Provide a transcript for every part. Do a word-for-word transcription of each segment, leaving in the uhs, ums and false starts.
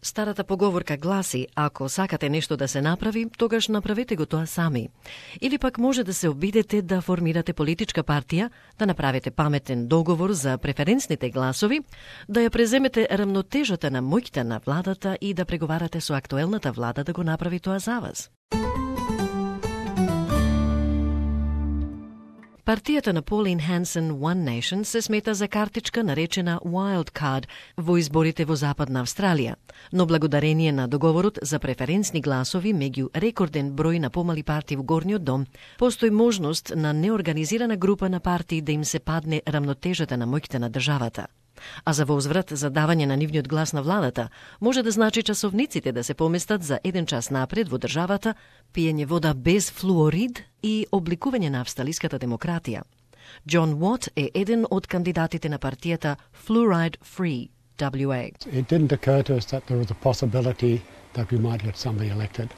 Старата поговорка гласи, ако сакате нешто да се направи, тогаш направете го тоа сами. Или пак може да се обидете да формирате политичка партија, да направите паметен договор за преференсните гласови, да ја преземете рамнотежата на моќта на владата и да преговарате со актуелната влада да го направи тоа за вас. Партијата на Pauline Hanson One Nation се смета за картичка наречена Wild Card во изборите во Западна Австралија, но благодарение на договорот за преференсни гласови меѓу рекорден број на помали партии во Горниот дом, постои можност на неорганизирана група на партии да им се падне рамнотежата на моќта на државата. А за возврат за давање на нивниот глас на владата, може да значи часовниците да се поместат за еден час напред во државата, пиење вода без флуорид и обликување на австралиската демократија. Џон Уот е еден од кандидатите на партијата Fluoride Free W A. It didn't occur to us that there was a possibility that we might get somebody elected.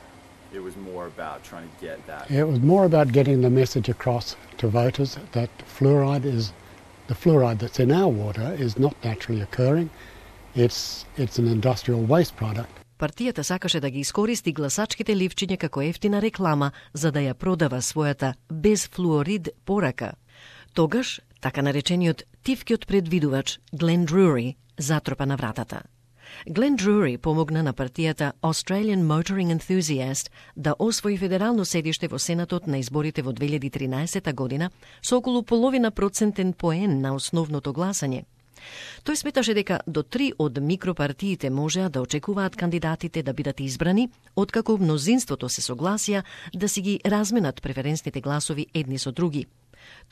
It was more about trying to get that. It was more about getting the message across to voters that fluoride is The fluoride that's in our water is not naturally occurring. It's, it's an industrial waste product. Партијата сакаше да ги искористи гласачките ливчиња како ефтина реклама за да ја продава својата без флуорид порака. Тогаш, така наречениот тивкиот предвидувач Глен Друри затропа на вратата. Глен Друри помогна на партијата Australian Motoring Enthusiast да освои федерално седиште во Сенатот на изборите во две илјади и тринаесета година со околу половина процентен поен на основното гласање. Тој сметаше дека до три од микропартиите можеа да очекуваат кандидатите да бидат избрани, откако мнозинството се согласија да си ги разменат преференсните гласови едни со други.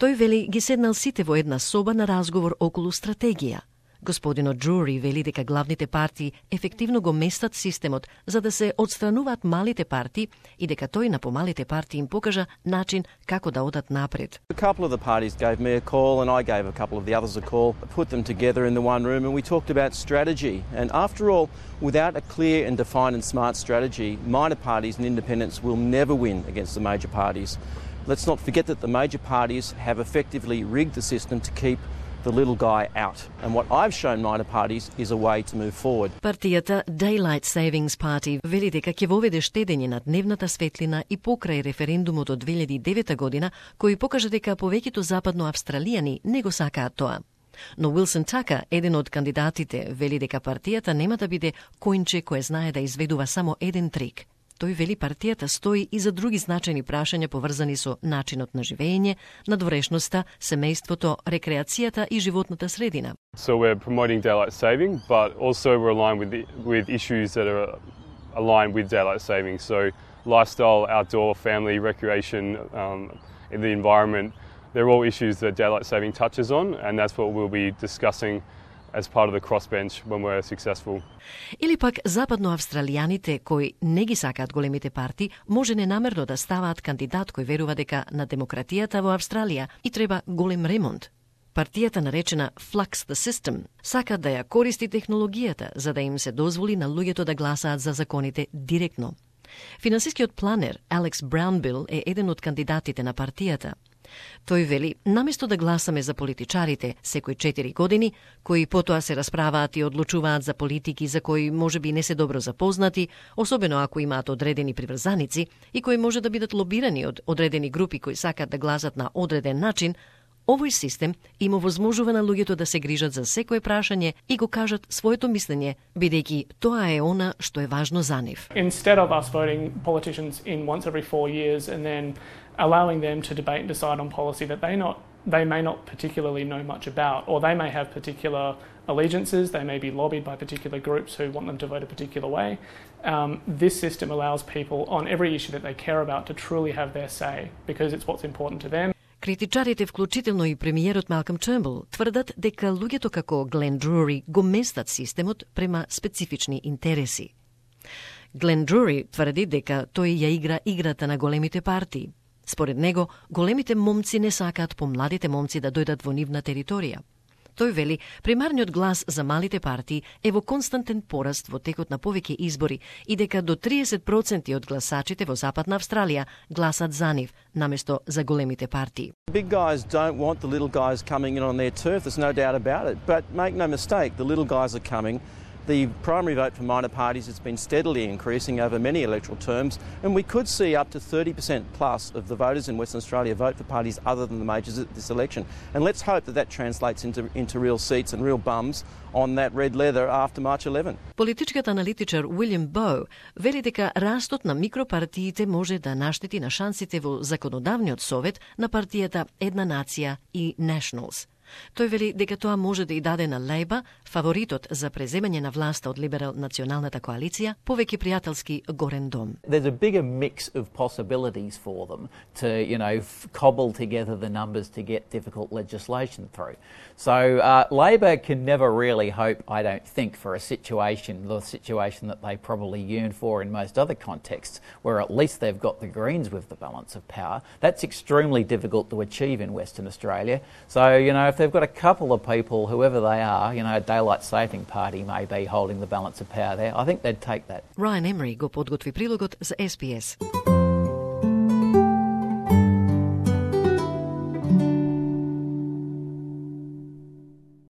Тој вели ги седнал сите во една соба на разговор околу стратегија. Господинот Друри вели дека главните партии ефективно го местат системот за да се отстрануваат малите партии и дека тој на помалите партии им покажа начин како да одат напред. A couple of the parties gave me a call and I gave a couple of the others a call, put them together in the one room and we talked about strategy. And after all, without a clear and defined and smart strategy, minor parties and independents will never win against the major parties. Let's not forget that the major parties have effectively rigged the system to keep the little guy out. And what I've shown minor parties is a way to move forward. Партијата Daylight Savings Party вели дека ќе воведе штедење на дневната светлина и покрај референдумот од две илјади и девета година, кој покажа дека повеќето западноавстралијани не го сакаат тоа. Но Уилсон Така, еден од кандидатите, вели дека партијата нема да биде којнче кое знае да изведува само еден трик. Тој вели партијата стои и за други значајни прашања поврзани со начинот на живење, надворешноста, семејството, рекреацијата и животната средина. So we're promoting daylight saving, but also we're aligned with the, with issues that are aligned with daylight saving. So lifestyle, outdoor, family, recreation, um, in the environment, they're all issues that daylight saving touches on, and that's what we'll be discussing as part of the crossbench when we're successful. Или пак западноавстралијаните кои не ги сакаат големите партии, може ненамерно да ставаат кандидат кој верува дека на демократијата во Австралија и треба голем ремонт. Партијата наречена Flux the System сака да ја користи технологијата за да им се дозволи на луѓето да гласаат за законите директно. Финансискиот планер Алекс Браунбил е еден од кандидатите на партијата. Тој вели, наместо да гласаме за политичарите секој четири години, кои потоа се расправаат и одлучуваат за политики за кои може би не се добро запознати, особено ако имаат одредени приврзаници и кои може да бидат лобирани од одредени групи кои сакат да гласат на одреден начин, овој систем им овозможува на луѓето да се грижат за секое прашање и го кажат своето мислење, бидејќи тоа е она што е важно за нив. Instead of us voting politicians in once every four years and then allowing them to debate and decide on policy that they not they may not particularly know much about, or they may have particular allegiances, they may be lobbied by particular groups who want them to vote a particular way. Um, this system allows people on every issue that they care about to truly have their say because it's what's important to them. Критичарите, вклучително и премиерот Малком Тернбул, тврдат дека луѓето како Глен Друри го местат системот према специфични интереси. Глен Друри тврди дека тој ја игра играта на големите партии. Според него, големите момци не сакаат помладите момци да дојдат во нивна територија. Тој вели, примарниот глас за малите партии е во константен пораст во текот на повеќе избори и дека до триесет проценти од гласачите во Западна Австралија гласат за нив, наместо за големите партии. Big guys don't want the little guys coming in on their turf, there's no doubt about it. But make no mistake, the little guys are coming The primary vote for minor parties has been steadily increasing over many electoral terms, and we could see up to thirty percent plus of the voters in Western Australia vote for parties other than the majors at this election. And let's hope that that translates into, into real seats and real bums on that red leather after March eleventh. Политичкиот аналитичар Уилјам Боу вели дека растот на микропартиите може да наштети на шансите во законодавниот совет на партијата Една нација и Nationals. Тој вели дека тоа може да и даде на Лейба, фаворитот за преземање на власта од либерал-националната коалиција, повеќе пријателски горен дом. There's a bigger mix of possibilities for them to, you know, cobble together the numbers to get difficult legislation through. So uh, Labor can never really hope, I don't think, for a situation, the situation that they probably yearn for in most other contexts, where at least they've got the Greens with the balance of power. That's extremely difficult to achieve in Western Australia. So, you know, if they've got a couple of people, whoever they are, you know, a daylight saving party may be holding the balance of power there, I think they'd take that. Ryan Emery го подготви прилогот за С Б С.